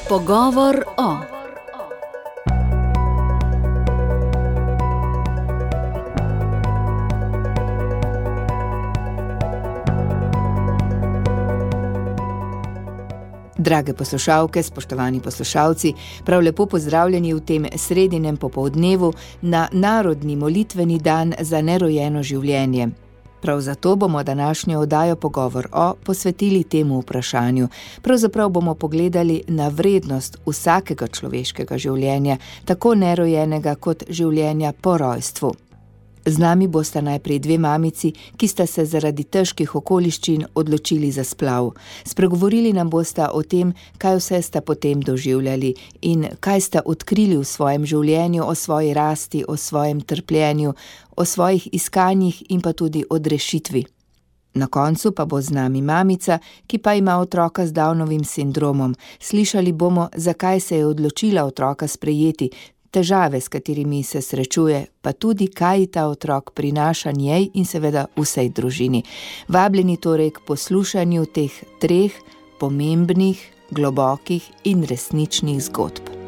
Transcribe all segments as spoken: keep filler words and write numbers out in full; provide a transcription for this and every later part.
Pogovor o. Drage poslušalke, spoštovani poslušalci, prav lepo pozdravljeni v tem sredinem popoldnevu na narodni molitveni dan za nerojeno življenje. Prav zato bomo današnjo oddajo Pogovor o posvetili temu vprašanju. Pravzaprav bomo pogledali na vrednost vsakega človeškega življenja, tako nerojenega kot življenja po rojstvu. Z nami bosta najprej dve mamici, ki sta se zaradi težkih okoliščin odločili za splav. Spregovorili nam bosta o tem, kaj vse sta potem doživljali in kaj sta odkrili v svojem življenju, o svoji rasti, o svojem trpljenju, o svojih iskanjih in pa tudi odrešitvi. Na koncu pa bo z nami mamica, ki pa ima otroka z Downovim sindromom. Slišali bomo, zakaj se je odločila otroka sprejeti, težave, s katerimi se srečuje, pa tudi, kaj ta otrok prinaša njej in seveda vsej družini. Vabljeni torej k poslušanju teh treh pomembnih, globokih in resničnih zgodb.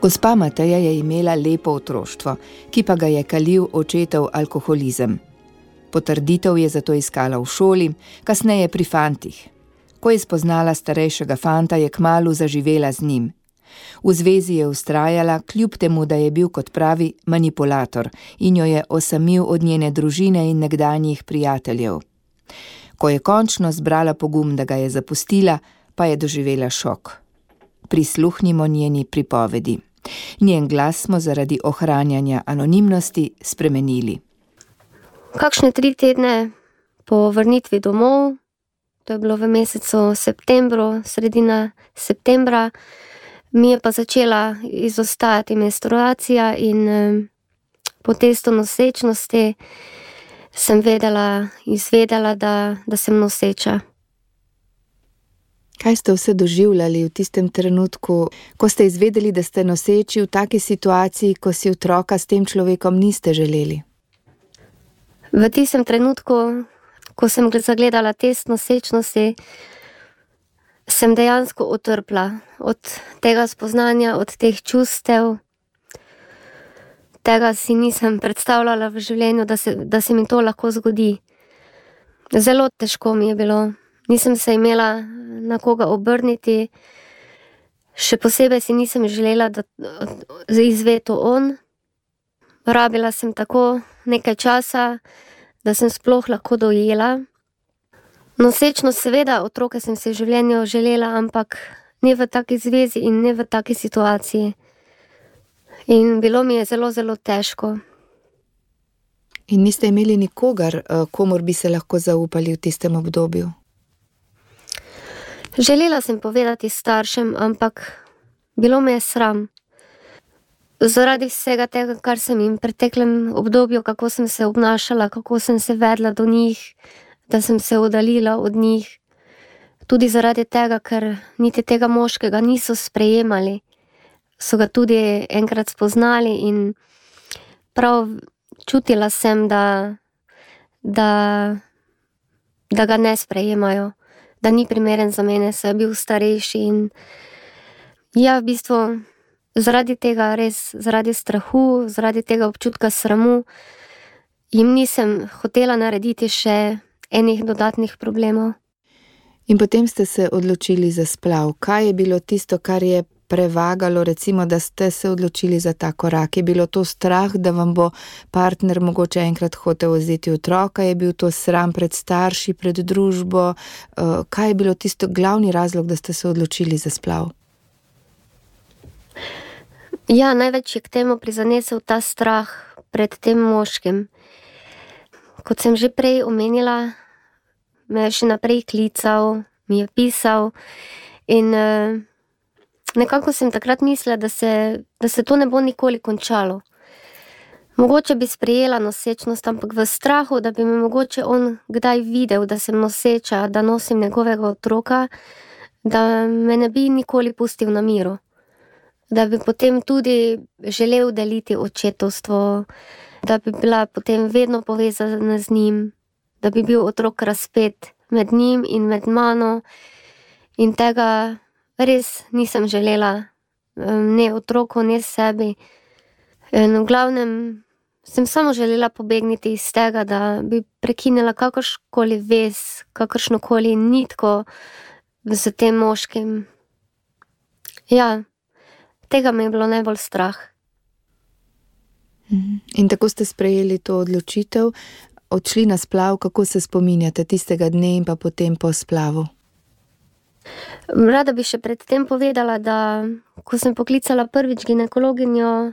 Gospa Mateja je imela lepo otroštvo, ki pa ga je kalil očetov alkoholizem. Potrditev je zato iskala v šoli, kasneje pri fantih. Ko je spoznala starejšega fanta, je kmalu zaživela z njim. V zvezi je vztrajala, kljub temu, da je bil, kot pravi, manipulator in jo je osamil od njene družine in nekdanjih prijateljev. Ko je končno zbrala pogum, da ga je zapustila, pa je doživela šok. Prisluhnimo njeni pripovedi. Njen glas smo zaradi ohranjanja anonimnosti spremenili. Kakšne tri tedne po vrnitvi domov, to je bilo v mesecu septembru, sredina septembra, mi je pa začela izostajati menstruacija in eh, po testu nosečnosti sem vedela, izvedela, da, da sem noseča. Kaj ste vse doživljali v tistem trenutku, ko ste izvedeli, da ste noseči v taki situaciji, ko si otroka s tem človekom niste želeli? V tistem trenutku, ko sem zagledala test nosečnosti, sem dejansko utrpla od tega spoznanja, od teh čustev. Tega si nisem predstavljala v življenju, da se, da se mi to lahko zgodi. Zelo težko mi je bilo. Nisem se imela na koga obrniti, še posebej si nisem želela, da izve to on. Rabila sem tako nekaj časa, da sem sploh lahko dojela. Nosečnost, seveda, otroke sem si v življenju želela, ampak ne v taki zvezi in ne v taki situaciji. In bilo mi je zelo, zelo težko. In niste imeli nikogar, komur bi se lahko zaupali v tistem obdobju? Želela sem povedati staršem, ampak bilo me je sram. Zaradi vsega tega, kar sem jim v preteklem obdobju, kako sem se obnašala, kako sem se vedla do njih, da sem se oddaljila od njih. Tudi zaradi tega, ker niti tega moškega niso sprejemali. So ga tudi enkrat spoznali in prav čutila sem, da, da, da ga ne sprejemajo. Da ni primeren za mene, saj je bil starejši in ja, v bistvu zaradi tega res, zaradi strahu, zaradi tega občutka sramu, jim nisem hotela narediti še enih dodatnih problemov. In potem ste se odločili za splav. Kaj je bilo tisto, kar je prevagalo, recimo, da ste se odločili za ta korak? Je bilo to strah, da vam bo partner mogoče enkrat hotel vzeti otroka? Je bil to sram pred starši, pred družbo? Kaj je bilo tisto glavni razlog, da ste se odločili za splav? Ja, največ je k temu prizanesel ta strah pred tem moškim. Kot sem že prej omenila, me je še naprej klical, mi je pisal in uh, nekako sem takrat mislila, da se, da se to ne bo nikoli končalo. Mogoče bi sprejela nosečnost, ampak v strahu, da bi me mogoče on kdaj videl, da sem noseča, da nosim njegovega otroka, da me ne bi nikoli pustil na miru. Da bi potem tudi želel deliti očetovstvo, da bi bila potem vedno povezana z njim, da bi bil otrok razpet med njim in med mano. In tega res nisem želela, ne otroku, ne sebi. In v glavnem sem samo želela pobegniti iz tega, da bi prekinila kakršnokoli vez, kakršnokoli nitko z tem moškim. Ja, tega mi je bilo najbolj strah. In tako ste sprejeli to odločitev, odšli na splav. Kako se spominjate tistega dne in pa potem po splavu? Rada bi še pred tem povedala, da ko sem poklicala prvič ginekologinjo,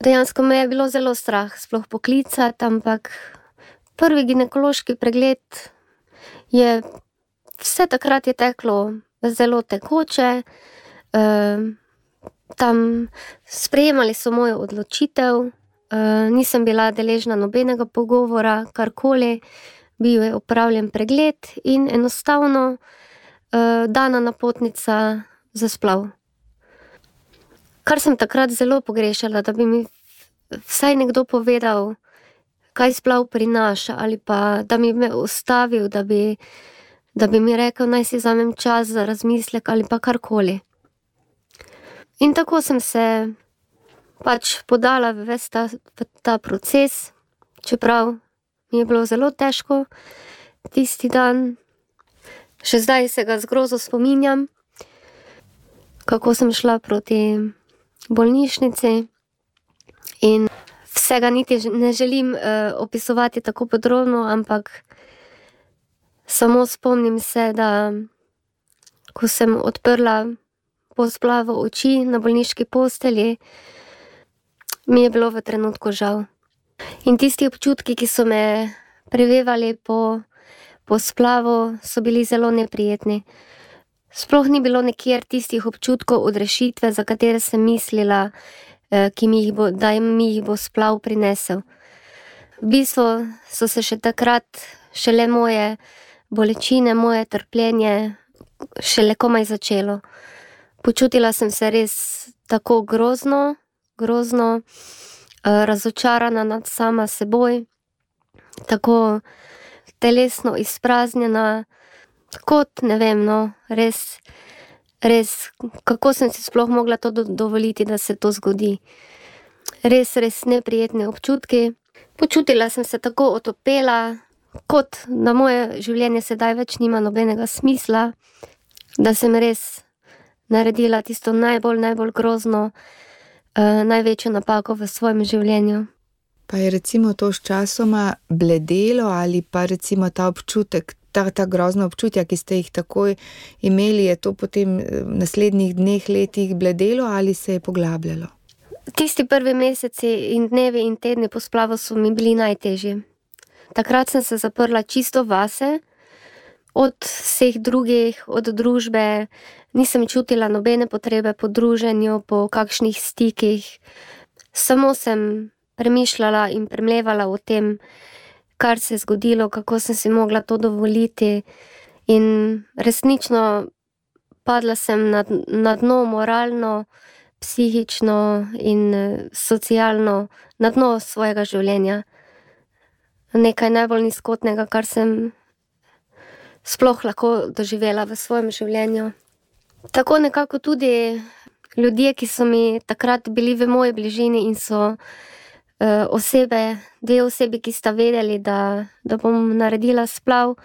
dejansko me je bilo zelo strah sploh poklicati, ampak prvi ginekološki pregled je, vse takrat je teklo zelo tekoče, uh, tam sprejemali so mojo odločitev, uh, nisem bila deležna nobenega pogovora, karkoli, bil je opravljen pregled in enostavno uh, dana napotnica za splav. Kar sem takrat zelo pogrešala, da bi mi vsaj nekdo povedal, kaj splav prinaša, ali pa da mi me ustavil, da bi, da bi mi rekel, naj si vzamem čas za razmislek ali pa karkoli. In tako sem se pač podala v ves ta, v ta proces, čeprav mi je bilo zelo težko tisti dan. Še zdaj se ga z grozo spominjam, kako sem šla proti bolnišnici in vsega niti ne želim uh, opisovati tako podrobno, ampak samo spomnim se, da ko sem odprla po splavu oči na bolniški postelji, mi je bilo v trenutku žal. In tisti občutki, ki so me prevevali po, po splavu, so bili zelo neprijetni. Sploh ni bilo nikjer tistih občutkov odrešitve, za katere sem mislila, ki mi jih bo, da mi jih bo splav prinesel. V bistvu so se še takrat šele moje bolečine, moje trpljenje šele komaj začelo. Počutila sem se res tako grozno, grozno, razočarana nad sama seboj, tako telesno izpraznjena, kot ne vem, no, res, res, kako sem si sploh mogla to do, dovoliti, da se to zgodi. Res, res neprijetni občutki. Počutila sem se tako otopela, kot da moje življenje sedaj več nima nobenega smisla, da sem res naredila tisto najbolj, najbolj grozno, uh, največjo napako v svojem življenju. Pa je recimo to s časoma bledelo ali pa recimo ta občutek, ta, ta grozna občutja, ki ste jih takoj imeli, je to potem v naslednjih dneh, letih bledelo ali se je poglabljalo? Tisti prvi meseci in dnevi in tedni po splavu so mi bili najtežji. Takrat sem se zaprla čisto vase, od vseh drugih, od družbe, nisem čutila nobene potrebe po druženju, po kakšnih stikih. Samo sem premišljala in premlevala o tem, kar se je zgodilo, kako sem si mogla to dovoliti. In resnično padla sem na, na dno moralno, psihično in socialno, na dno svojega življenja. Nekaj najbolj nizkotnega, kar sem sploh lahko doživela v svojem življenju. Tako nekako tudi ljudje, ki so mi takrat bili v moji bližini in so uh, osebe, dve osebi, ki sta vedeli, da, da bom naredila splav,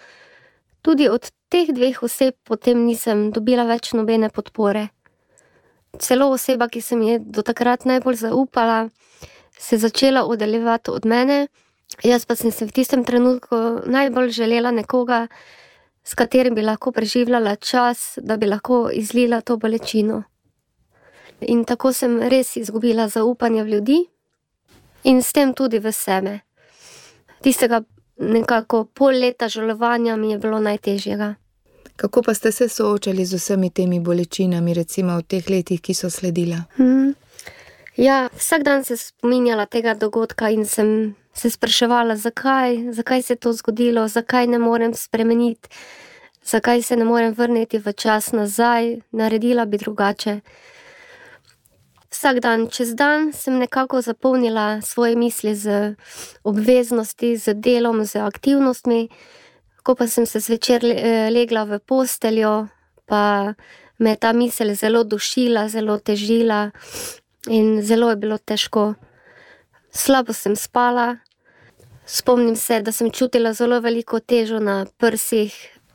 tudi od teh dveh oseb potem nisem dobila več nobene podpore. celo oseba, ki se mi je do takrat najbolj zaupala, se je začela oddaljevati od mene. Jaz pa sem se v tistem trenutku najbolj želela nekoga, s katerim bi lahko preživljala čas, da bi lahko izlila to bolečino. In tako sem res izgubila zaupanje v ljudi in s tem tudi v sebe. Tistega nekako pol leta žalovanja mi je bilo najtežjega. Kako pa ste se soočali z vsemi temi bolečinami, recimo v teh letih, ki so sledila? Hmm. Ja, vsak dan se spominjala tega dogodka in sem se spraševala, zakaj, zakaj se je to zgodilo, zakaj ne morem spremeniti, zakaj se ne morem vrniti v čas nazaj, naredila bi drugače. Vsak dan, čez dan sem nekako zapolnila svoje misli z obveznosti, z delom, z aktivnostmi. Ko pa sem se zvečer legla v posteljo, pa me je ta misel zelo dušila, zelo težila in zelo je bilo težko. Slabo sem spala, spomnim se, da sem čutila zelo veliko težo na prsih.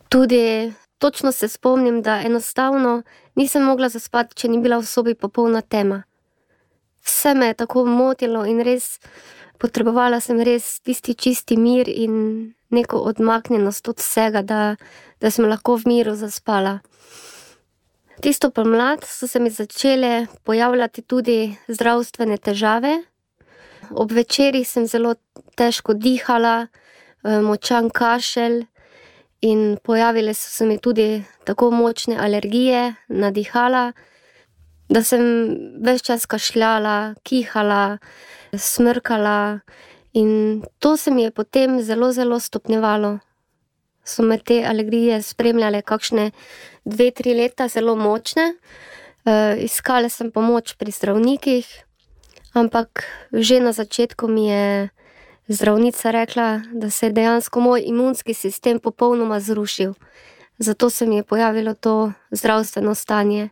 Tudi točno se spomnim, da enostavno nisem mogla zaspati, če ni bila v sobi popolna tema. Vse me je tako motilo in res potrebovala sem res tisti čisti mir in neko odmaknjenost od vsega, da, da sem lahko v miru zaspala. Tisto pomlad so se mi začele pojavljati tudi zdravstvene težave. Ob večerih sem zelo težko dihala, močan kašelj in pojavile so se mi tudi tako močne alergije na dihala, da sem ves čas kašljala, kihala, smrkala in to se mi je potem zelo, zelo stopnjevalo. So me te alergije spremljale kakšne dve, tri leta, zelo močne. E, iskala sem pomoč pri zdravnikih, ampak že na začetku mi je zdravnica rekla, da se je dejansko moj imunski sistem popolnoma zrušil. Zato se mi je pojavilo to zdravstveno stanje.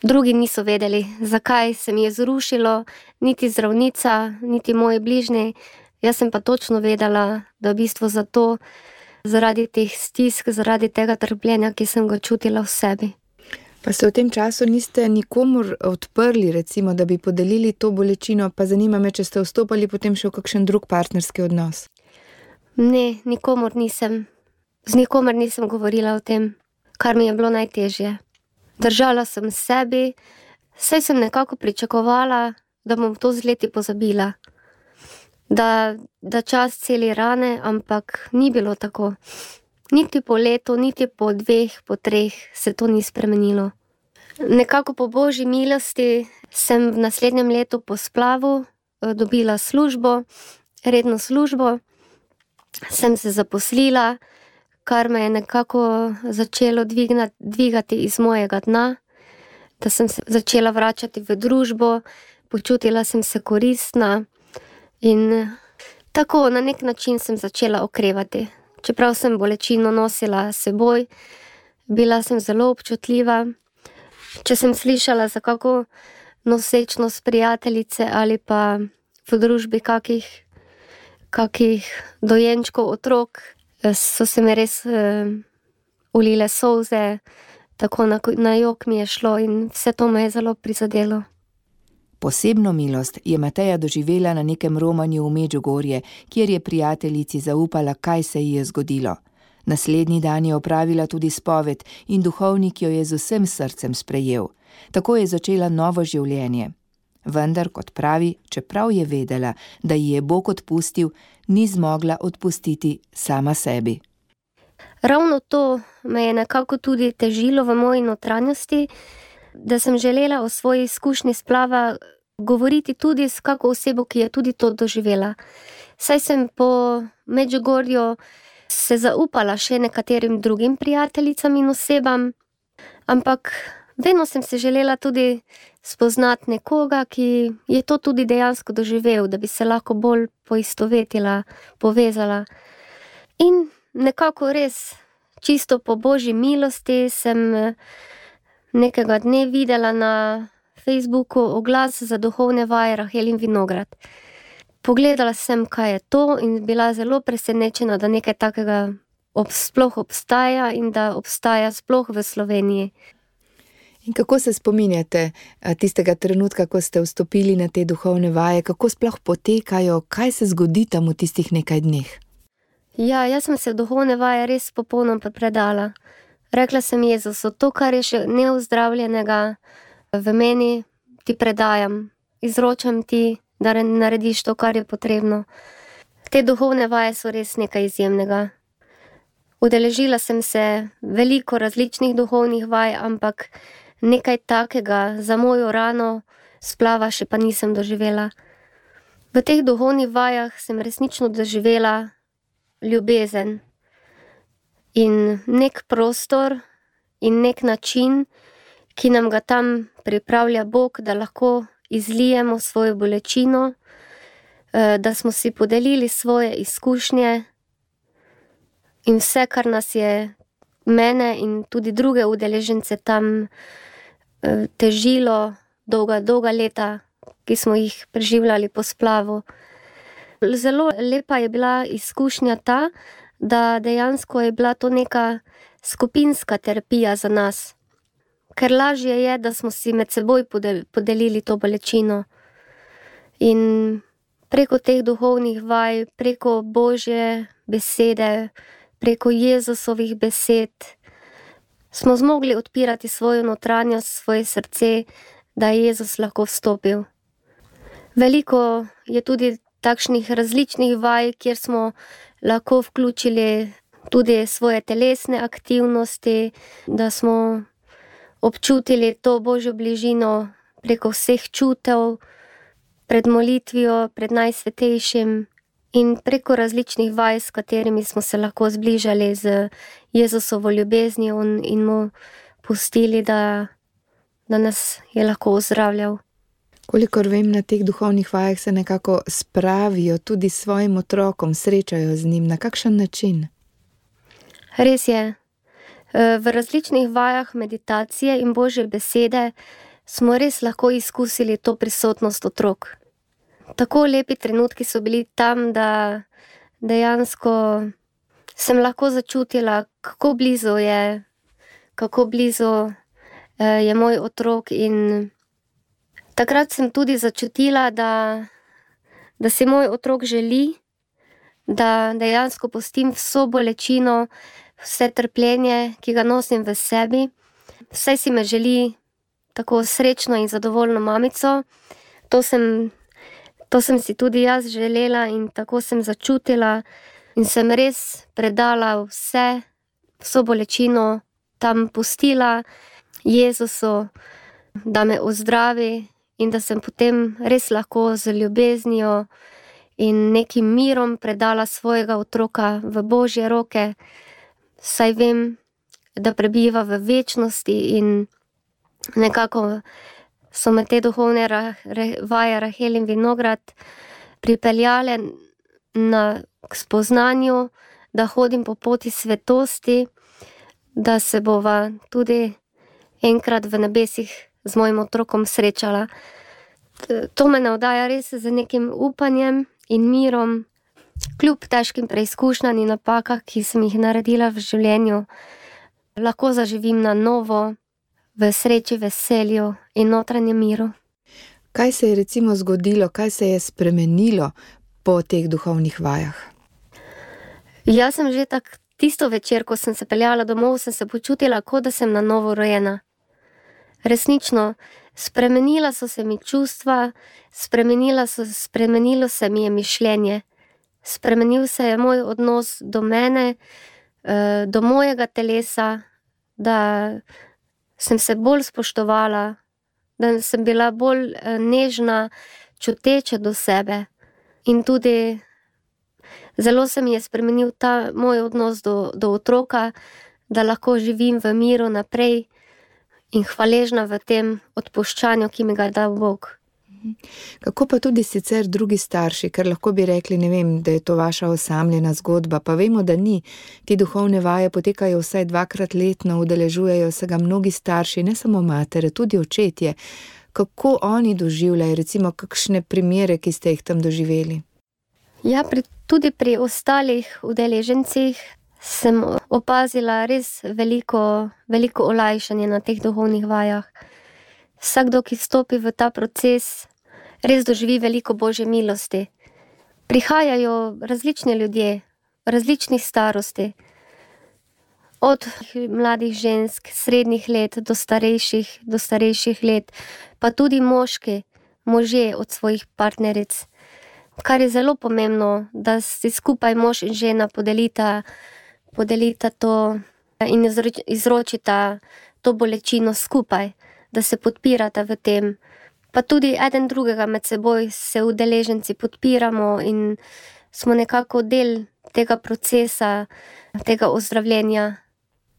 Drugi niso vedeli, zakaj se mi je zrušilo, niti zdravnica, niti moji bližnji. Jaz sem pa točno vedela, da v bistvu zato, zaradi teh stisk, zaradi tega trpljenja, ki sem ga čutila v sebi. Pa se v tem času niste nikomur odprli, recimo, da bi podelili to bolečino, pa zanima me, če ste vstopali potem še v kakšen drug partnerski odnos? Ne, nikomur nisem. Z nikomer nisem govorila o tem, kar mi je bilo najtežje. Držala sem sebi, saj sem nekako pričakovala, da bom to z leti pozabila. Da, da čas celi rane, ampak ni bilo tako. Niti po letu, niti po dveh, po treh se to ni spremenilo. Nekako po božji milosti sem v naslednjem letu po splavu dobila službo, redno službo. Sem se zaposlila, kar me je nekako začelo dvignati, dvigati iz mojega dna, da sem se začela vračati v družbo, počutila sem se koristna in tako na nek način sem začela okrevati. Čeprav sem bolečino nosila s seboj, bila sem zelo občutljiva. Če sem slišala za kako nosečnost prijateljice ali pa v družbi kakih, kakih dojenčkov otrok, so se mi res uh, ulile solze, tako na, na jok mi je šlo in vse to me je zelo prizadelo. Posebno milost je Mateja doživela na nekem romanju v Medžugorje, kjer je prijateljici zaupala, kaj se ji je zgodilo. Naslednji dan je opravila tudi spoved in duhovnik jo je z vsem srcem sprejel. Tako je začela novo življenje. Vendar, kot pravi, čeprav je vedela, da ji je Bog odpustil, ni zmogla odpustiti sama sebi. Ravno to me je nekako tudi težilo v moji notranjosti, da sem želela o svoji izkušnji splava govoriti tudi s kako osebo, ki je tudi to doživela. Saj sem po Medžugorju se zaupala še nekaterim drugim prijateljicam in osebam, ampak vedno sem se želela tudi spoznati nekoga, ki je to tudi dejansko doživel, da bi se lahko bolj poistovetila, povezala. In nekako res, čisto po božji milosti, sem nekega dne videla na Facebooku oglas za duhovne vaje Rahel in Vinograd. Pogledala sem, kaj je to in bila zelo presenečena, da nekaj takega ob, sploh obstaja in da obstaja sploh v Sloveniji. In kako se spominjate tistega trenutka, ko ste vstopili na te duhovne vaje, kako sploh potekajo, kaj se zgodi tam v tistih nekaj dneh? Ja, jaz sem se v duhovne vaje res popolnoma predala. Rekla sem Jezusu, to, kar je še neozdravljenega v meni, ti predajam, izročam ti, da narediš to, kar je potrebno. Te duhovne vaje so res nekaj izjemnega. Udeležila sem se veliko različnih duhovnih vaj, ampak nekaj takega za mojo rano splava še pa nisem doživela. V teh duhovnih vajah sem resnično doživela ljubezen in nek prostor in nek način, ki nam ga tam pripravlja Bog, da lahko izlijemo svojo bolečino, da smo si podelili svoje izkušnje in vse, kar nas je mene in tudi druge udeležence tam težilo dolga, dolga leta, ki smo jih preživljali po splavu. Zelo lepa je bila izkušnja ta, da dejansko je bila to neka skupinska terapija za nas. Ker lažje je, da smo si med seboj podelili to bolečino. In preko teh duhovnih vaj, preko Božje besede, preko Jezusovih besed, smo zmogli odpirati svojo notranjost, svoje srce, da je Jezus lahko vstopil. Veliko je tudi takšnih različnih vaj, kjer smo lahko vključili tudi svoje telesne aktivnosti, da smo občutili to Božjo bližino preko vseh čutev, pred molitvijo, pred najsvetejšim in preko različnih vaj, s katerimi smo se lahko zbližali z Jezusovo ljubeznijo in mu pustili, da, da nas je lahko ozdravljal. Kolikor vem, na teh duhovnih vajah se nekako spravijo tudi s svojim otrokom, srečajo z njim. Na kakšen način? Res je. V različnih vajah meditacije in Božje besede smo res lahko izkusili to prisotnost otrok. Tako lepi trenutki so bili tam, da dejansko sem lahko začutila, kako blizu je, kako blizu je moj otrok in takrat sem tudi začutila, da, da si moj otrok želi, da dejansko pustim vso bolečino, vse trpljenje, ki ga nosim v sebi. Vsaj si me želi tako srečno in zadovoljno mamico. To sem, to sem si tudi jaz želela in tako sem začutila in sem res predala vse, vso bolečino, tam pustila Jezusu, da me ozdravi in da sem potem res lahko z ljubeznijo in nekim mirom predala svojega otroka v Božje roke, saj vem, da prebiva v večnosti in nekako so me te duhovne vaje Rahel in Vinograd pripeljale na, k spoznanju, da hodim po poti svetosti, da se bova tudi enkrat v nebesih z mojim otrokom srečala. To me navdaja res z nekim upanjem in mirom, kljub težkim preizkušnjam in napakah, ki sem jih naredila v življenju, lahko zaživim na novo, v sreči, veselju in notranjem miru. Kaj se je recimo zgodilo, kaj se je spremenilo po teh duhovnih vajah? Jaz sem že tak, tisto večer, ko sem se peljala domov, sem se počutila, kot da sem na novo rojena. Resnično, spremenila so se mi čustva, spremenila so, spremenilo se mi je mišljenje. Spremenil se je moj odnos do mene, do mojega telesa, da sem se bolj spoštovala, da sem bila bolj nežna, čuteča do sebe. In tudi zelo se mi je spremenil ta moj odnos do, do otroka, da lahko živim v miru naprej in hvaležna v tem odpuščanju, ki mi ga je dal Bog. Kako pa tudi sicer drugi starši, ker lahko bi rekli, ne vem, da je to vaša osamljena zgodba, pa vemo, da ni. Ti duhovne vaje potekajo vsaj dvakrat letno, udeležujejo se ga mnogi starši, ne samo matere, tudi očetje. Kako oni doživljajo, recimo kakšne primere, ki ste jih tam doživeli? Ja, pri, tudi pri ostalih udeležencih sem opazila res veliko, veliko olajšanje na teh duhovnih vajah. Vsakdo, ki vstopi v ta proces, res doživi veliko Božje milosti. Prihajajo različni ljudje, različnih starosti, od mladih žensk, srednjih let do starejših, do starejših let, pa tudi moški, možje od svojih partneric. Kar je zelo pomembno, da si skupaj mož in žena podelita, podelita to in izročita to bolečino skupaj, da se podpirata v tem. Pa tudi eden drugega med seboj se udeleženci podpiramo in smo nekako del tega procesa, tega ozdravljenja.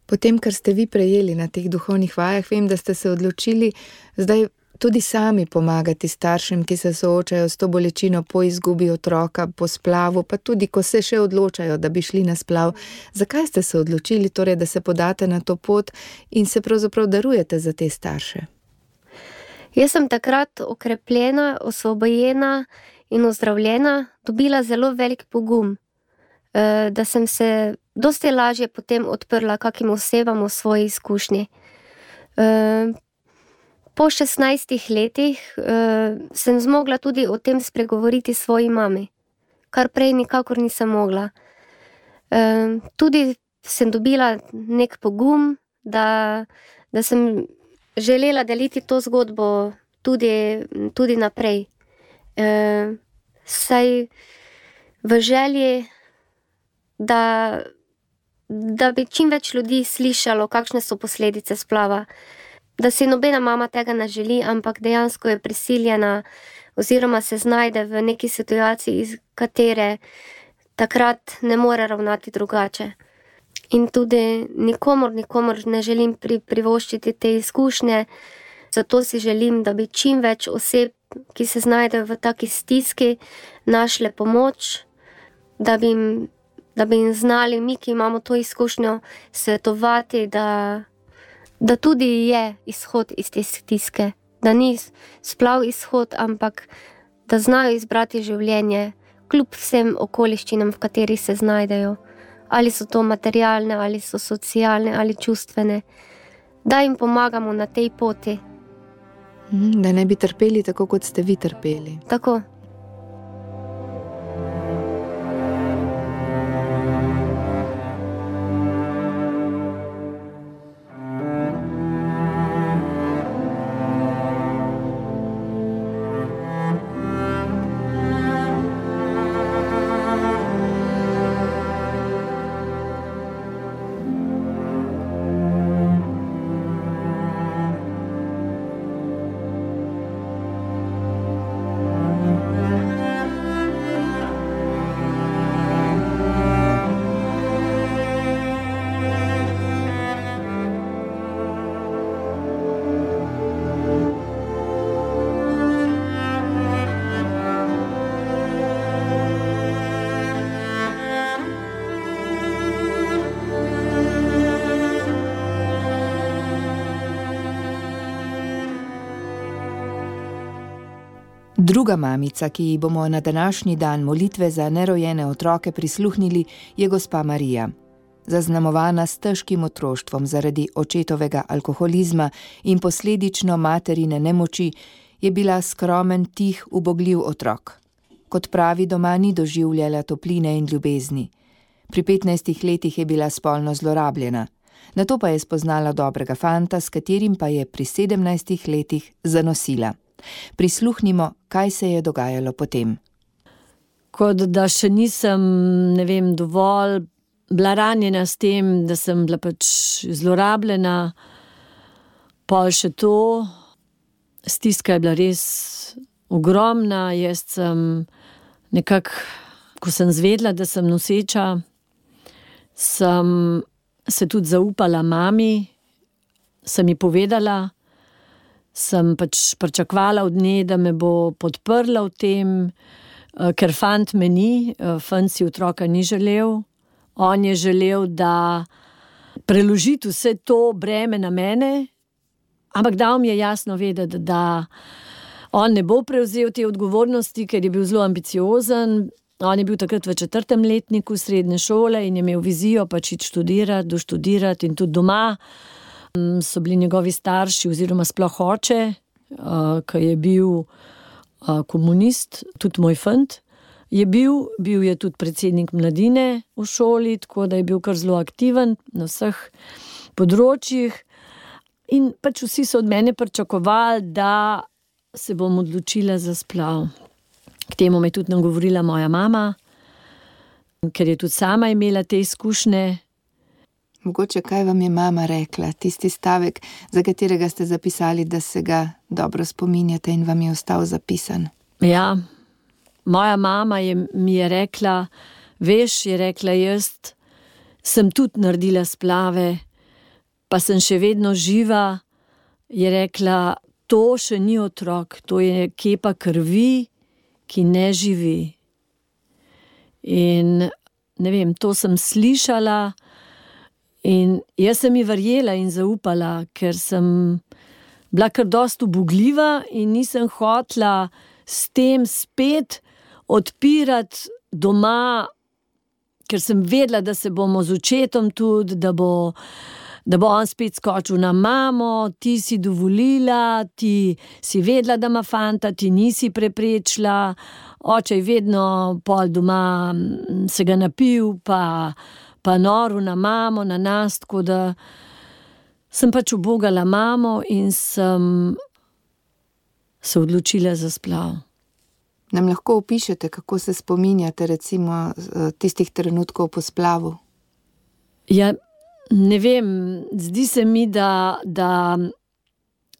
Potem, kar ste vi prejeli na teh duhovnih vajah, vem, da ste se odločili zdaj tudi sami pomagati staršem, ki se soočajo s to bolečino po izgubi otroka, po splavu, pa tudi, ko se še odločajo, da bi šli na splav. Zakaj ste se odločili, torej, da se podate na to pot in se pravzaprav darujete za te starše? Jaz sem takrat okrepljena, osvobojena in ozdravljena, dobila zelo velik pogum, da sem se dosti lažje potem odprla kakim osebam v svoji izkušnji. Po šestnajstih letih sem zmogla tudi o tem spregovoriti svoji mami, kar prej nikakor nisem mogla. Tudi sem dobila nek pogum, da, da sem želela deliti to zgodbo tudi, tudi naprej. E, saj v želji, da, da bi čim več ljudi slišalo, kakšne so posledice splava. Da si nobena mama tega ne želi, ampak dejansko je prisiljena oziroma se znajde v neki situaciji, iz katere takrat ne more ravnati drugače. In tudi nikomor, nikomor ne želim pri, privoščiti te izkušnje, zato si želim, da bi čim več oseb, ki se znajdejo v taki stiski, našle pomoč, da bi jim, da bi jim znali mi, ki imamo to izkušnjo, svetovati, da, da tudi je izhod iz te stiske, da ni splav izhod, ampak da znajo izbrati življenje, kljub vsem okoliščinam, v katerih se znajdejo. Ali so to materialne, ali so socialne, ali čustvene, da jim pomagamo na tej poti. Da ne bi trpeli tako, kot ste vi trpeli. Tako. Druga mamica, ki ji bomo na današnji dan molitve za nerojene otroke prisluhnili, je gospa Marija. Zaznamovana s težkim otroštvom zaradi očetovega alkoholizma in posledično materine nemoči, je bila skromen, tih, ubogljiv otrok. Kot pravi, doma ni doživljala topline in ljubezni. Pri petnajstih letih je bila spolno zlorabljena. Nato pa je spoznala dobrega fanta, s katerim pa je pri sedemnajstih letih zanosila. Prisluhnimo, kaj se je dogajalo potem. Kot da še nisem, ne vem, dovolj bila ranjena s tem, da sem bila pač zlorabljena, pol še to, stiska je bila res ogromna, jaz sem nekako, ko sem zvedla, da sem noseča, sem se tudi zaupala mami, sem ji povedala, sem pač pričakovala od nje, da me bo podprla v tem, ker fant me ni, fant si otroka ni želel. On je želel, da preložiti vse to breme na mene, ampak dal mi je jasno vedeti, da on ne bo prevzel te odgovornosti, ker je bil zelo ambiciozen On je bil takrat v četrtem letniku srednje šole in je imel vizijo pač iti študirati, doštudirati in tudi doma. So bili njegovi starši oziroma sploh oče, ki je bil komunist, tudi moj fant je bil, bil je tudi predsednik mladine v šoli, tako da je bil kar zelo aktiven na vseh področjih. In pač vsi so od mene pričakovali, da se bom odločila za splav. K temu me je tudi nagovorila moja mama, ker je tudi sama imela te izkušnje. Mogoče kaj vam je mama rekla, tisti stavek, za katerega ste zapisali, da se ga dobro spominjate in vam je ostal zapisan? Ja, moja mama je, mi je rekla, veš, je rekla, jaz sem tudi naredila splave, pa sem še vedno živa, je rekla, to še ni otrok, to je kepa krvi, ki ne živi. In ne vem, to sem slišala in jaz sem ji verjela in zaupala, ker sem bila kar dosti ubogljiva in nisem hotela s tem spet odpirati doma, ker sem vedela, da se bomo z očetom tudi, da bo, da bo on spet skočil na mamo, ti si dovolila, ti si vedela, da ima fanta, ti nisi preprečila, oče je vedno pol doma se ga napil, pa, pa noril na mamo, na nas, tako da sem pač ubogala mamo in sem se odločila za splav. Nam lahko opišete, kako se spominjate recimo tistih trenutkov po splavu? Ja, ne vem, zdi se mi, da, da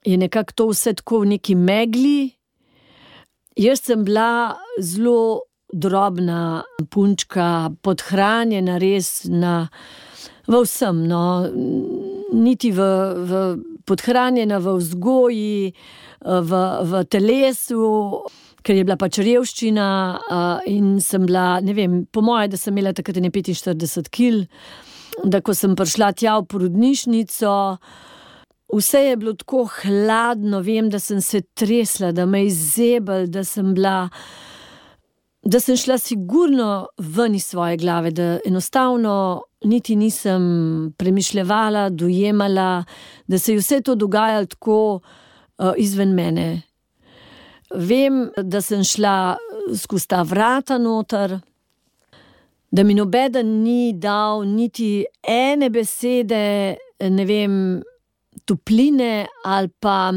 je nekako to vse tako v neki megli. Jaz sem bila zelo drobna punčka, podhranjena res na, v vsem, no, niti v, v, podhranjena v vzgoji, v, v telesu, ker je bila pač revščina in sem bila, ne vem, po moje, da sem imela takrat petinštirideset kil, da ko sem prišla tja v porodnišnico, vse je bilo tako hladno, vem, da sem se tresla, da me je zebel, da sem bila, da sem šla sigurno ven iz svoje glave, da enostavno niti nisem premišljevala, dojemala, da se je vse to dogajalo tako uh, izven mene. Vem, da sem šla skozi ta vrata noter, da mi nobeden ni dal niti ene besede, ne vem, topline ali pa,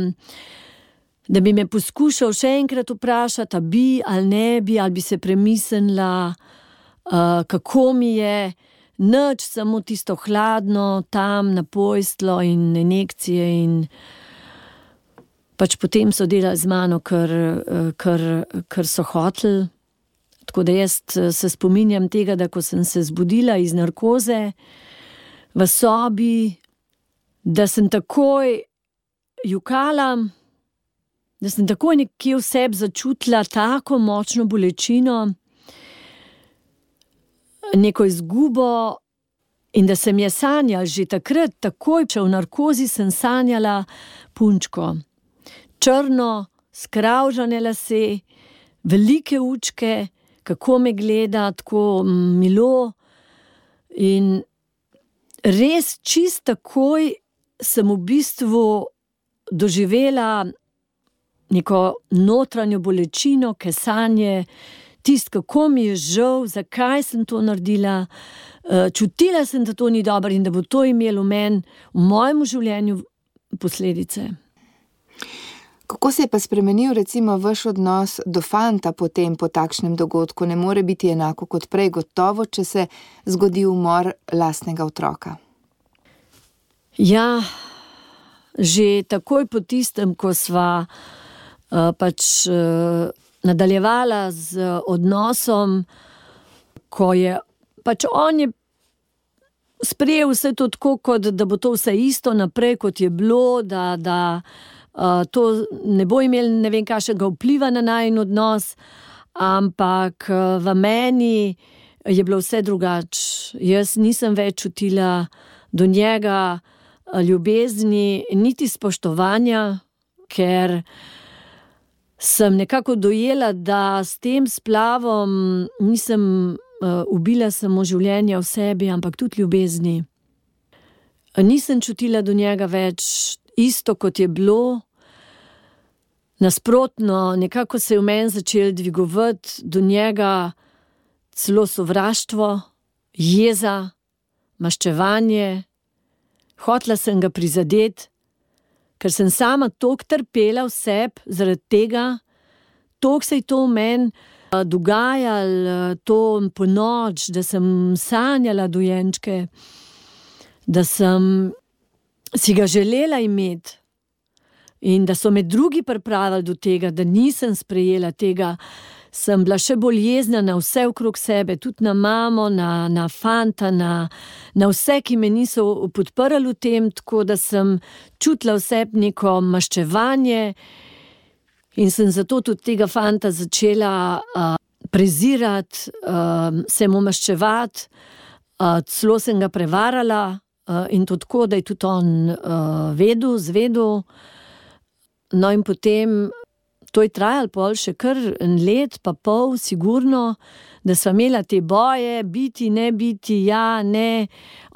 da bi me poskušal še enkrat vprašati, a bi ali ne bi, ali bi se premislila, uh, kako mi je, nič, samo tisto hladno tam na posteljo in injekcije in pač potem so delali z mano, ker, ker, ker so hoteli. Tako da jaz se spominjam tega, da ko sem se zbudila iz narkoze v sobi, da sem takoj jokala, da sem takoj nekje v sebi začutila tako močno bolečino, neko izgubo in da sem je sanjala že takrat, takoj, če v narkozi sem sanjala punčko. Črno, skravžane lase, velike učke, kako me gleda, tako milo in res čist takoj sem v bistvu doživela neko notranjo bolečino, kesanje, tist, kako mi je žal, zakaj sem to naredila, čutila sem, da to ni dobro in da bo to imelo v meni, v mojem življenju posledice. Kako se je pa spremenil recimo vaš odnos do fanta potem po takšnem dogodku? Ne more biti enako kot prej, gotovo, če se zgodi umor lastnega otroka. Ja, že takoj po tistem, ko sva uh, pač uh, nadaljevala z odnosom, ko je pač on je sprejel vse to tako, kot da bo to vse isto naprej, kot je bilo, da, da Uh, to ne bo imel ne vem kakšnega vpliva na najin odnos, ampak uh, v meni je bilo vse drugače. Jaz nisem več čutila do njega uh, ljubezni, niti spoštovanja, ker sem nekako dojela, da s tem splavom nisem uh, ubila samo življenja v sebi, ampak tudi ljubezni. Nisem čutila do njega več isto, kot je bilo. Nasprotno, nekako se je v meni začel dvigovati do njega celo sovraštvo, jeza, maščevanje. Hotela sem ga prizadeti, ker sem sama toliko trpela v sebi zaradi tega, toliko se je to v meni dogajalo, to po noč, da sem sanjala dojenčke, da sem si ga želela imeti in da so me drugi pripravili do tega, da nisem sprejela tega, sem bila še bolj jezna na vse okrog sebe, tudi na mamo, na, na fanta, na, na vse, ki me niso podprli v tem, tako da sem čutila v sebi neko maščevanje in sem zato tudi tega fanta začela uh, prezirati, uh, se mu maščevati, uh, celo sem ga prevarala uh, in to tako, da je tudi on uh, vedel, zvedel. No in potem, to je trajalo pol še kar en let, pa pol, sigurno, da sva imela te boje, biti, ne biti, ja, ne.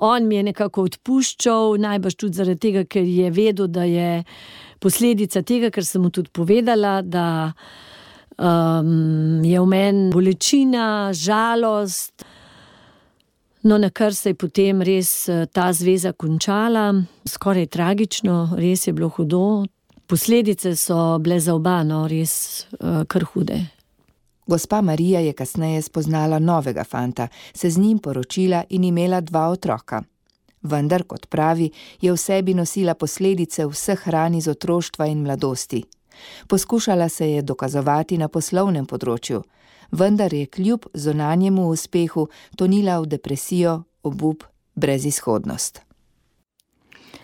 On mi je nekako odpuščal, najbrž tudi zaradi tega, ker je vedel, da je posledica tega, ker sem mu tudi povedala, da um, je v meni bolečina, žalost. No, na kar se je potem res ta zveza končala, skoraj tragično, res je bilo hudo. Posledice so bile za oba, no, res uh, kar hude. Gospa Marija je kasneje spoznala novega fanta, se z njim poročila in imela dva otroka. Vendar, kot pravi, je v sebi nosila posledice vseh ran iz otroštva in mladosti. Poskušala se je dokazovati na poslovnem področju, vendar je kljub zunanjemu uspehu tonila v depresijo, obup, brezizhodnost.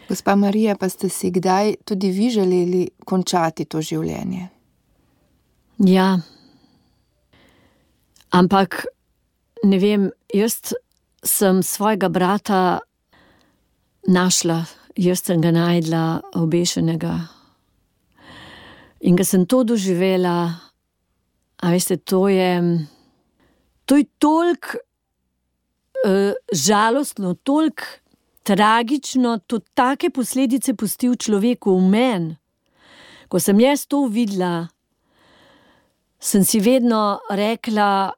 Gospa Marija, pa ste si kdaj tudi vi želeli končati to življenje? Ja. Ampak, ne vem, jaz sem svojega brata našla, jaz sem ga najdla obešenega. In ko sem to doživela, a veste, to je, to je toliko uh, žalostno, toliko tragično, to take posledice pusti v človeku, v meni. Ko sem jaz to videla, sem si vedno rekla,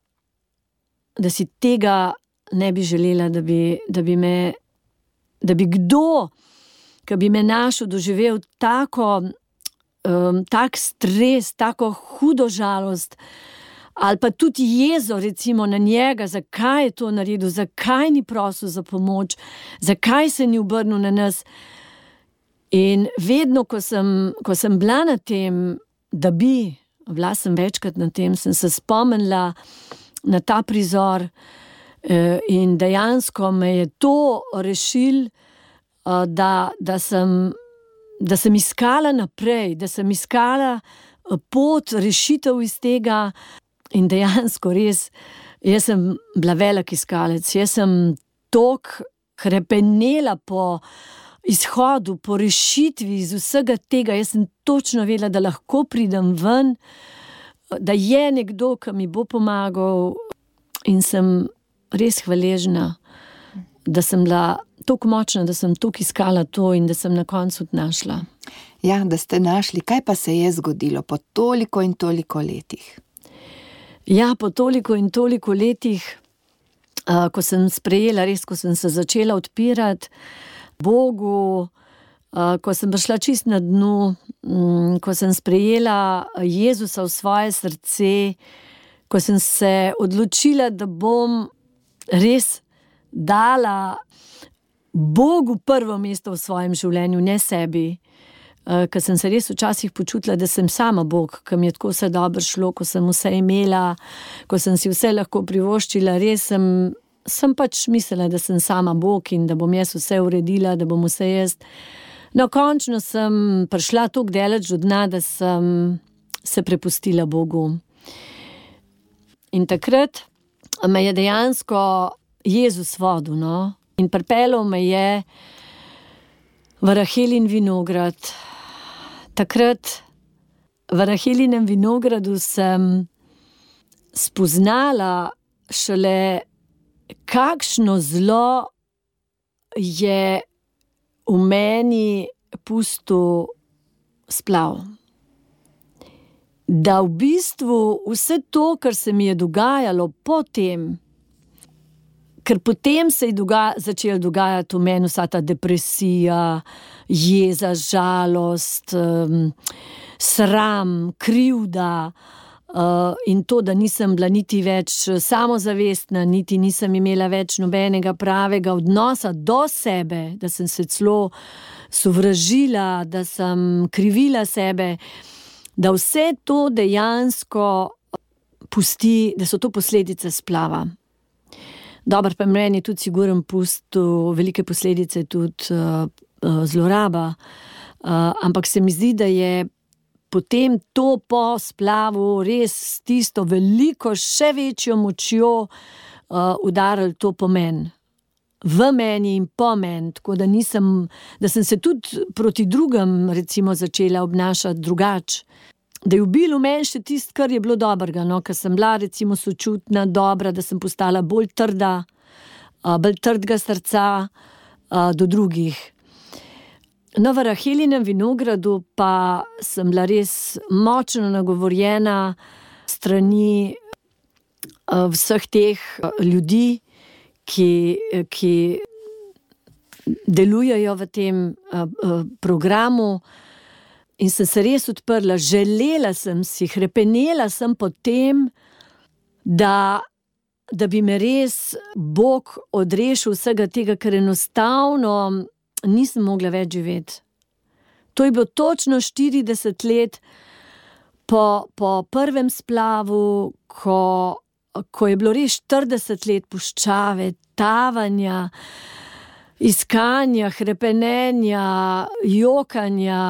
da si tega ne bi želela, da bi, da bi me, da bi kdo, ki bi me našel, doživel tako, um, tak stres, tako hudo žalost, ali pa tudi jezo, recimo, na njega, zakaj je to naredil, zakaj ni prosil za pomoč, zakaj se ni obrnil na nas. In vedno, ko sem, ko sem bila na tem, da bi, bila sem večkrat na tem, sem se spomnila na ta prizor in dejansko me je to rešil, da, da, sem, da sem iskala naprej, da sem iskala pot, rešitev iz tega. In dejansko res, jaz sem bila velik iskalec, jaz sem toliko hrepenela po izhodu, po rešitvi iz vsega tega, jaz sem točno vedela, da lahko pridem ven, da je nekdo, ki mi bo pomagal in sem res hvaležna, da sem bila toliko močna, da sem toliko iskala to in da sem na koncu našla. Ja, da ste našli, kaj pa se je zgodilo po toliko in toliko letih? Ja, po toliko in toliko letih, uh, ko sem sprejela, res, ko sem se začela odpirati Bogu, uh, ko sem prišla čist na dnu, um, ko sem sprejela Jezusa v svoje srce, ko sem se odločila, da bom res dala Bogu prvo mesto v svojem življenju, ne sebi. Ker sem se res včasih počutila, da sem sama Bog, ko mi je tako vse dobro šlo, ko sem vse imela, ko sem si vse lahko privoščila, res sem, sem pač mislila, da sem sama Bog in da bom jaz vse uredila, da bom vse jaz. No, končno sem prišla toliko daleč do dna, da sem se prepustila Bogu. In takrat me je dejansko Jezus vodil, no, in pripeljal me je v Rahelin vinograd. Takrat v Rahelinem vinogradu sem spoznala šele, kakšno zlo je v meni pustil splav. Da v bistvu vse to, kar se mi je dogajalo potem, ker potem se je doga- začela dogajati v meni vsa ta depresija, jeza, žalost, um, sram, krivda, uh, in to, da nisem bila niti več samozavestna, niti nisem imela več nobenega pravega odnosa do sebe, da sem se celo sovražila, da sem krivila sebe, da vse to dejansko pusti, da so to posledice splava. Dobro, pa meni je tudi siguren pustil velike posledice, tudi uh, uh, zloraba, uh, ampak se mi zdi, da je potem to po splavu res tisto veliko, še večjo močjo uh, udarilo to pomen. V meni in po meni, tako da nisem, da sem se tudi proti drugim recimo začela obnašati drugače. Da je ubilo meni še tisto, kar je bilo dobrega, no, ker sem bila recimo sočutna, dobra, da sem postala bolj trda, uh, bolj trdega srca uh, do drugih. No, v Rahelinem vinogradu pa sem bila res močno nagovorjena strani uh, vseh teh uh, ljudi, ki, ki delujejo v tem uh, uh, programu. In sem se res odprla, želela sem si, hrepenela sem po tem, da, da bi me res Bog odrešil vsega tega, ker enostavno nisem mogla več živeti. To je bilo točno štirideset let po, po prvem splavu, ko, ko je bilo res štirideset let puščave, tavanja, iskanja, hrepenenja, jokanja,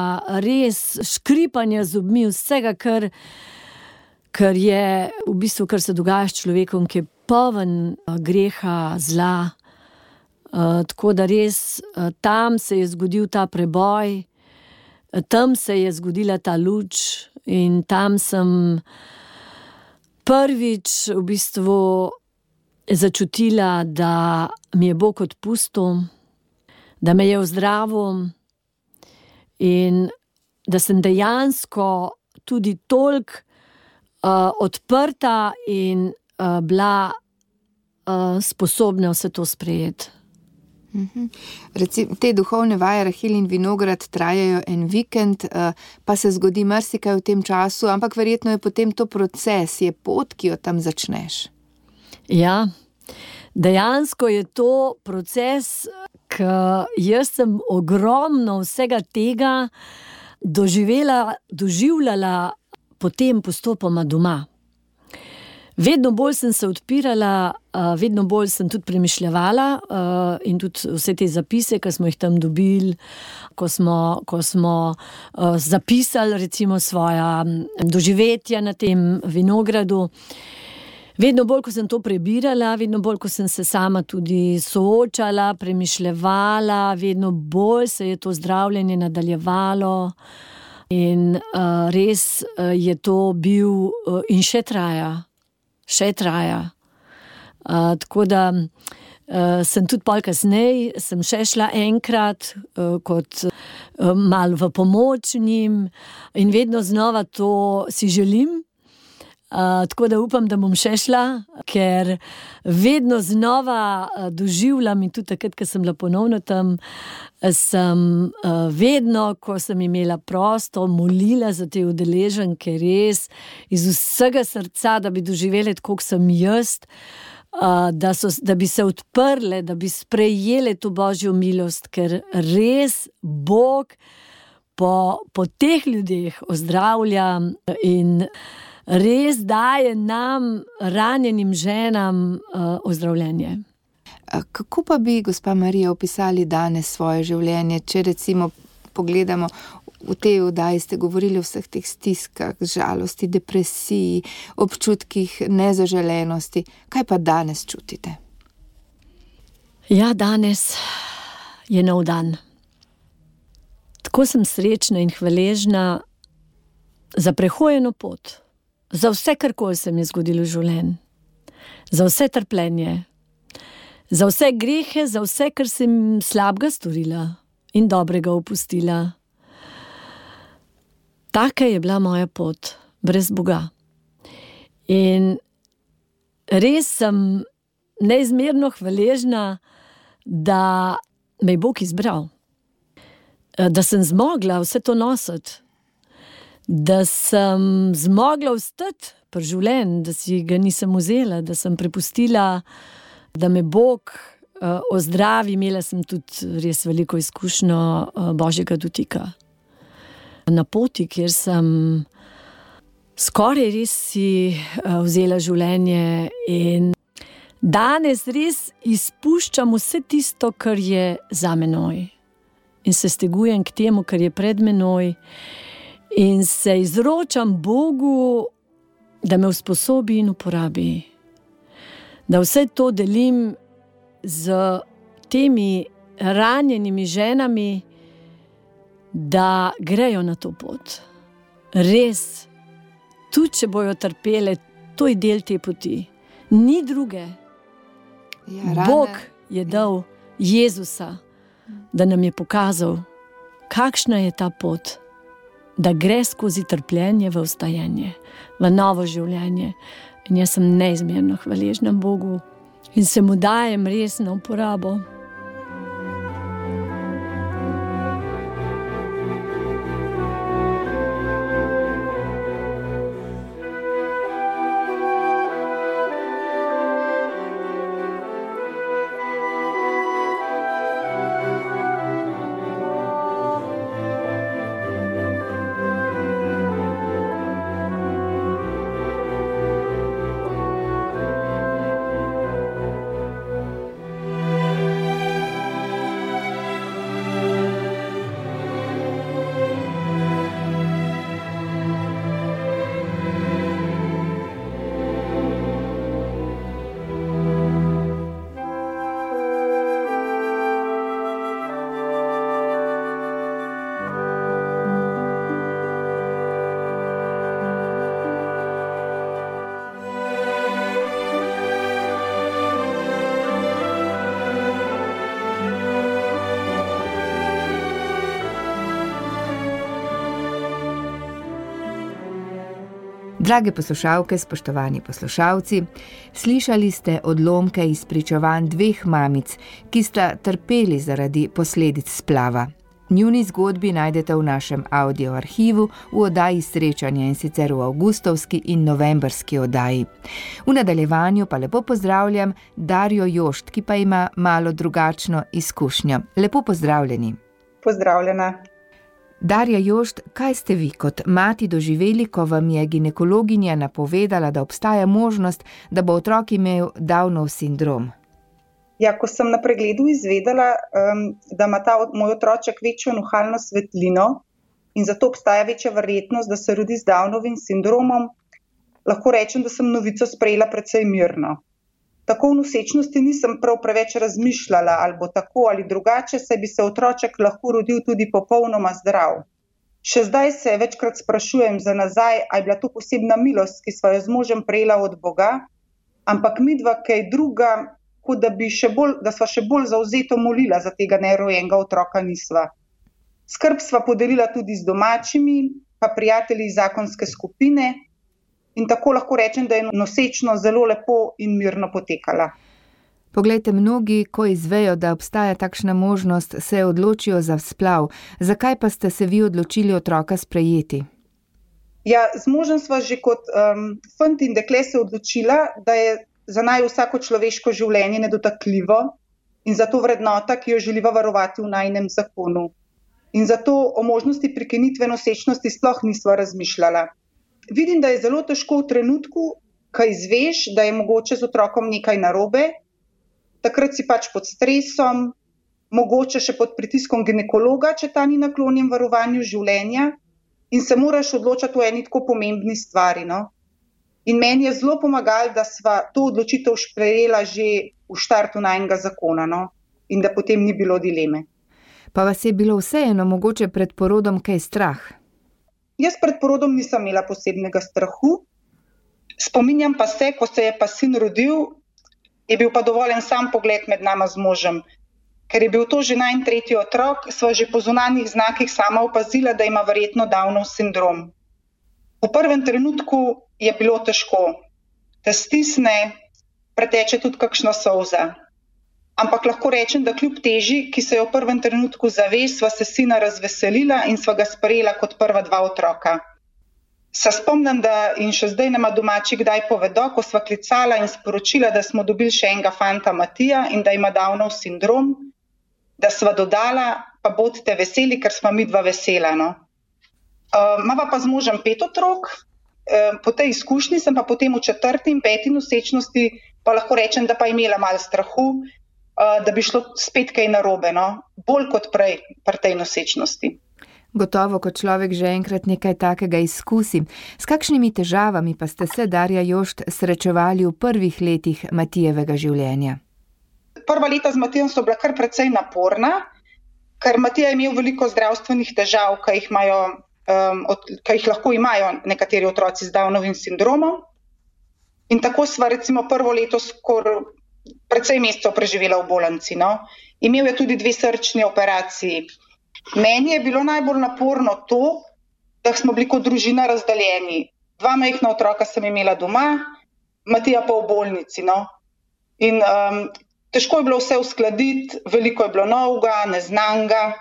res škripanja zobmi, vsega, kar, kar je v bistvu, kar se dogaja s človekom, ki je poln greha, zla. Uh, tako da res uh, tam se je zgodil ta preboj, uh, tam se je zgodila ta luč in tam sem prvič v bistvu začutila, da mi je Bog odpustil, da me je ozdravil in da sem dejansko tudi toliko uh, odprta in uh, bila uh, sposobna vse to sprejeti. Mhm. Recimo, te duhovne vaje Rahelin vinograd trajajo en vikend, uh, pa se zgodi marsikaj v tem času, ampak verjetno je potem to proces, je pot, ki jo tam začneš. Ja, dejansko je to proces, ker jaz sem ogromno vsega tega doživela, doživljala potem postopoma doma. Vedno bolj sem se odpirala, vedno bolj sem tudi premišljevala in tudi vse te zapise, ki smo jih tam dobili, ko smo, ko smo zapisali recimo svoja doživetja na tem vinogradu. Vedno bolj, ko sem to prebirala, vedno bolj, ko sem se sama tudi soočala, premišljevala, vedno bolj se je to zdravljenje nadaljevalo in uh, res uh, je to bil uh, in še traja, še traja. Uh, tako da uh, sem tudi pol kasneje, sem še šla enkrat uh, kot uh, malo v pomoč njim in vedno znova to si želim. Uh, tako da upam, da bom še šla, ker vedno znova uh, doživljam in tudi takrat, ko sem bila ponovno tam, sem uh, vedno, ko sem imela prosto, molila za te udeleženke res iz vsega srca, da bi doživele tako, kot sem jaz, uh, da, so, da bi se odprle, da bi sprejele to Božjo milost, ker res Bog po, po teh ljudeh ozdravlja in res daje nam, ranjenim ženam, uh, ozdravljenje. Kako pa bi, gospa Marija, opisali danes svoje življenje, če recimo pogledamo v tej oddaji, ste govorili o vseh teh stiskah, žalosti, depresiji, občutkih nezaželenosti. Kaj pa danes čutite? Ja, danes je nov dan. Tako sem srečna in hvaležna, za prehojeno pot, za vse, karkoli se mi je zgodilo v življenju, za vse trpljenje, za vse grehe, za vse, kar sem slabega storila in dobrega opustila. Taka je bila moja pot, brez Boga. In res sem neizmerno hvaležna, da me je Bog izbral, da sem zmogla vse to nositi, da sem zmogla vstati pri življenju, da si ga nisem vzela, da sem prepustila, da me Bog uh, ozdravi. Imela sem tudi res veliko izkušnjo uh, Božjega dotika. Na poti, kjer sem skoraj res si uh, vzela življenje in danes res izpuščam vse tisto, kar je za menoj. In se stegujem k temu, kar je pred menoj. In se izročam Bogu, da me usposobi in uporabi. Da vse to delim z temi ranjenimi ženami, da grejo na to pot. Res, tudi če bojo trpele, to je del te poti. Ni druge. Ja, Bog je dal Jezusa, da nam je pokazal, kakšna je ta pot, da gre skozi trpljenje v vstajanje, v novo življenje. In jaz sem neizmerno hvaležna Bogu in se mu dajem res na uporabo. Drage poslušalke, spoštovani poslušalci, slišali ste odlomke iz pričevanj dveh mamic, ki sta trpeli zaradi posledic splava. Njuni zgodbi najdete v našem audio arhivu v oddaji Srečanja, in sicer v avgustovski in novembrski oddaji. V nadaljevanju pa lepo pozdravljam Darjo Jošt, ki pa ima malo drugačno izkušnjo. Lepo pozdravljeni. Pozdravljena. Darja Jošt, kaj ste vi kot mati doživeli, ko vam je ginekologinja napovedala, da obstaja možnost, da bo otrok imel Downov sindrom? Ja, ko sem na pregledu izvedela, um, da ima ta moj otroček večjo nuhalno svetlino in zato obstaja večja verjetnost, da se rodi z Downovim sindromom, lahko rečem, da sem novico sprejela precej mirno. Tako v nosečnosti nisem prav preveč razmišljala, ali bo tako ali drugače, saj bi se otroček lahko rodil tudi popolnoma zdrav. Še zdaj se večkrat sprašujem za nazaj, ali je bila to posebna milost, ki sva jo z možem prejela od Boga, ampak midva kaj druga, kot da, bi še bolj, da sva še bolj zavzeto molila za tega nerojenega otroka nisva. Skrb sva podelila tudi z domačimi, pa prijatelji iz zakonske skupine, in tako lahko rečem, da je nosečno zelo lepo in mirno potekala. Poglejte, mnogi, ko izvejo, da obstaja takšna možnost, se odločijo za splav. Zakaj pa ste se vi odločili otroka sprejeti? Ja, z možem sva že kot um, fant in dekle se odločila, da je za naju vsako človeško življenje nedotakljivo in zato vrednota, ki jo želiva varovati v najinem zakonu. In zato o možnosti prekinitve nosečnosti sploh nisva razmišljala. Vidim, da je zelo težko v trenutku, ko izveš, da je mogoče z otrokom nekaj narobe, takrat si pač pod stresom, mogoče še pod pritiskom ginekologa, če ta ni naklonjen varovanju življenja, in se moraš odločati o eni tako pomembni stvari. No? In meni je zelo pomagalo, da sva to odločitev sprejela že v štartu najnega zakona, no? In da potem ni bilo dileme. Pa vas je bilo vseeno mogoče pred porodom kaj strah? Jaz pred porodom nisem imela posebnega strahu. Spominjam pa se, ko se je pa sin rodil, je bil pa dovoljen sam pogled med nama z možem. Ker je bil to že najin tretji otrok, sva že po zunanjih znakih sama opazila, da ima verjetno Downov sindrom. V prvem trenutku je bilo težko. Te stisne, preteče tudi kakšna solza. Ampak lahko rečem, da kljub teži, ki se je v prvem trenutku zave, sva se sina razveselila in sva ga sprejela kot prva dva otroka. Se spomnim, da in še zdaj nama domači kdaj povedo, ko sva klicala in sporočila, da smo dobili še enega fanta Matija in da ima Downov sindrom, da sva dodala, pa bodite veseli, ker sva mi dva vesela. No. Uh, mava pa z možem pet otrok, uh, po tej izkušnji sem pa potem v četrti in peti nosečnosti pa lahko rečem, da pa imela malo strahu, uh, da bi šlo spet kaj narobe, no. Bolj kot prej pri tej nosečnosti. Gotovo, ko človek že enkrat nekaj takega izkusi. S kakšnimi težavami pa ste se, Darja Jošt, srečevali v prvih letih Matijevega življenja? Prva leta z Matijem so bila kar precej naporna, ker Matija je imel veliko zdravstvenih težav, ki jih, imajo, um, od, ki jih lahko imajo nekateri otroci z Downovim sindromom. In tako sva recimo prvo leto skoraj precej mesecev preživela v bolnici. No. Imel je tudi dve srčni operaciji. Meni je bilo najbolj naporno to, da smo bili kot družina razdaljeni. Dva majhna otroka sem imela doma, Matija pa v bolnici. No. In um, težko je bilo vse uskladiti, veliko je bilo novega, neznanga.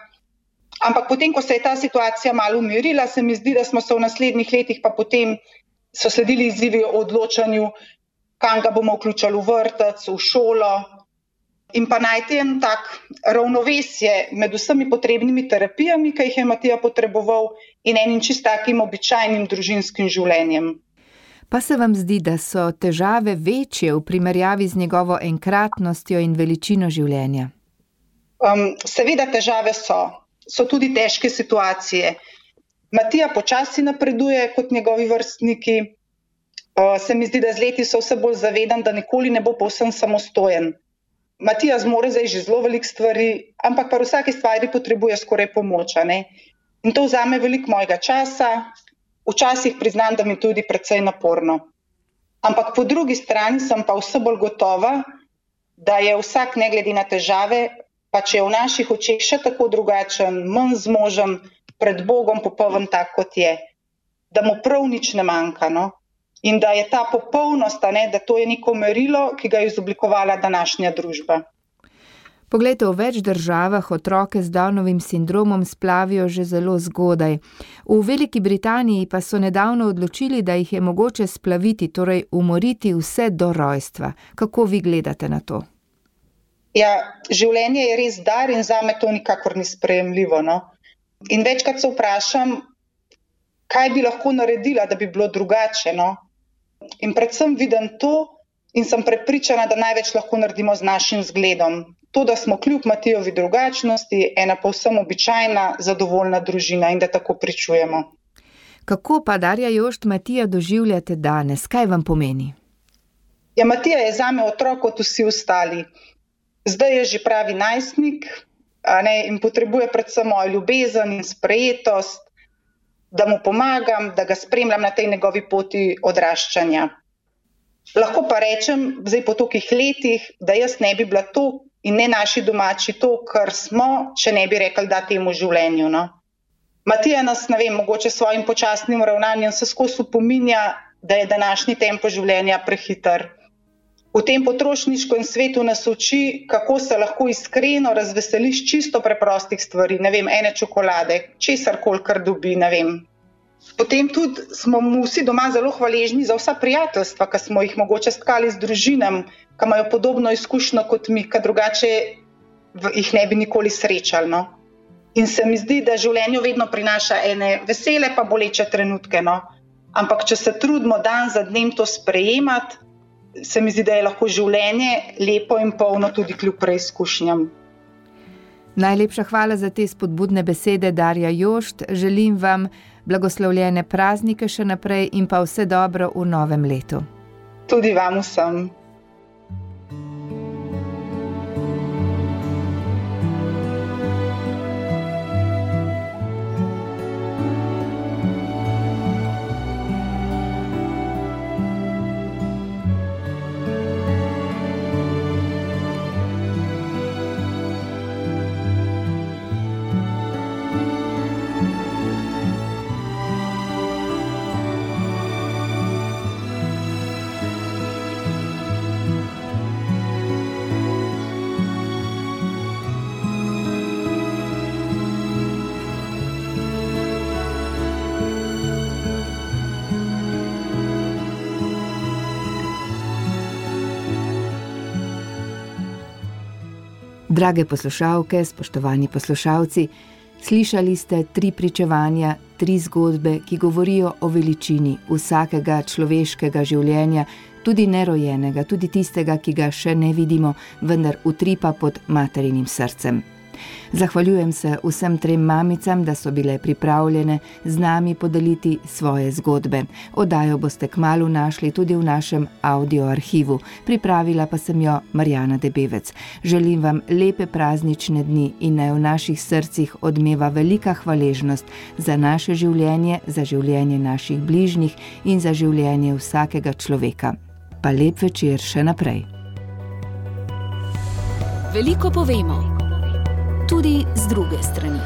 Ampak potem, ko se je ta situacija malo umirila, se mi zdi, da smo se v naslednjih letih pa potem so sledili izzivi o odločanju, kam ga bomo vključili v vrtec, v šolo. In pa najti en tak ravnovesje med vsemi potrebnimi terapijami, ki jih je Matija potreboval, in enim čist takim običajnim družinskim življenjem. Pa se vam zdi, da so težave večje v primerjavi z njegovo enkratnostjo in veličino življenja? Um, seveda težave so. So tudi težke situacije. Matija počasi napreduje kot njegovi vrstniki. Uh, se mi zdi, da z leti so vse bolj zavedan, da nikoli ne bo povsem samostojen. Matija zmore zdaj že zelo veliko stvari, ampak pa v vsaki stvari potrebuje skoraj pomoč. Ne? In to vzame veliko mojega časa, včasih priznam, da mi tudi precej naporno. Ampak po drugi strani sem pa vse bolj gotova, da je vsak ne glede na težave, pa če je v naših očeh še tako drugačen, manj zmožen, pred Bogom popoln tak, kot je, da mu prav nič ne manjka. No? In da je ta popolnost, ne, da to je neko merilo, ki ga je izoblikovala današnja družba. Poglejte, v več državah otroke z Downovim sindromom splavijo že zelo zgodaj. V Veliki Britaniji pa so nedavno odločili, da jih je mogoče splaviti, torej umoriti vse do rojstva. Kako vi gledate na to? Ja, življenje je res dar in zame to nikakor ni sprejemljivo. No? In večkrat se vprašam, kaj bi lahko naredila, da bi bilo drugače. No? In predvsem vidim to in sem prepričana, da največ lahko naredimo z našim zgledom. To, da smo kljub Matijovi drugačnosti ena povsem običajna, zadovoljna družina in da tako pričujemo. Kako pa, Darja Jošt, Matija doživljate danes? Kaj vam pomeni? Ja, Matija je zame otrok kot vsi ostali. Zdaj je že pravi najstnik, a ne, in potrebuje predvsem mojo ljubezen in sprejetost, da mu pomagam, da ga spremljam na tej njegovi poti odraščanja. Lahko pa rečem, zdaj po tolikih letih, da jaz ne bi bila to in ne naši domači to, kar smo, če ne bi rekli da temu življenju. No? Matija nas, ne vem, mogoče s svojim počasnim ravnanjem se skozi opominja, da je današnji tempo življenja prehiter. V tem potrošniškem svetu nas uči, kako se lahko iskreno razveseliš čisto preprostih stvari, ne vem, ene čokolade, česarkoli, kar dobi, ne vem. Potem tudi smo mu vsi doma zelo hvaležni za vsa prijateljstva, ki smo jih mogoče stkali z družinam, ki imajo podobno izkušnjo kot mi, ki drugače jih ne bi nikoli srečali. No? In se mi zdi, da življenje vedno prinaša ene vesele pa boleče trenutke. No? Ampak če se trudimo dan za dnem to sprejemati, se mi zdi, da je lahko življenje lepo in polno tudi kljub preizkušnjam. Najlepša hvala za te spodbudne besede, Darja Jošt. Želim vam blagoslovljene praznike še naprej in pa vse dobro v novem letu. Tudi vam vsem. Drage poslušalke, spoštovani poslušalci, slišali ste tri pričevanja, tri zgodbe, ki govorijo o veličini vsakega človeškega življenja, tudi nerojenega, tudi tistega, ki ga še ne vidimo, vendar utripa pod materinim srcem. Zahvaljujem se vsem trem mamicam, da so bile pripravljene z nami podeliti svoje zgodbe. Oddajo boste kmalu našli tudi v našem audio arhivu. Pripravila pa sem jo Marjana Debevec. Želim vam lepe praznične dni in naj v naših srcih odmeva velika hvaležnost za naše življenje, za življenje naših bližnjih in za življenje vsakega človeka. Pa lep večer še naprej. Veliko povemo. Tudi z druge strani.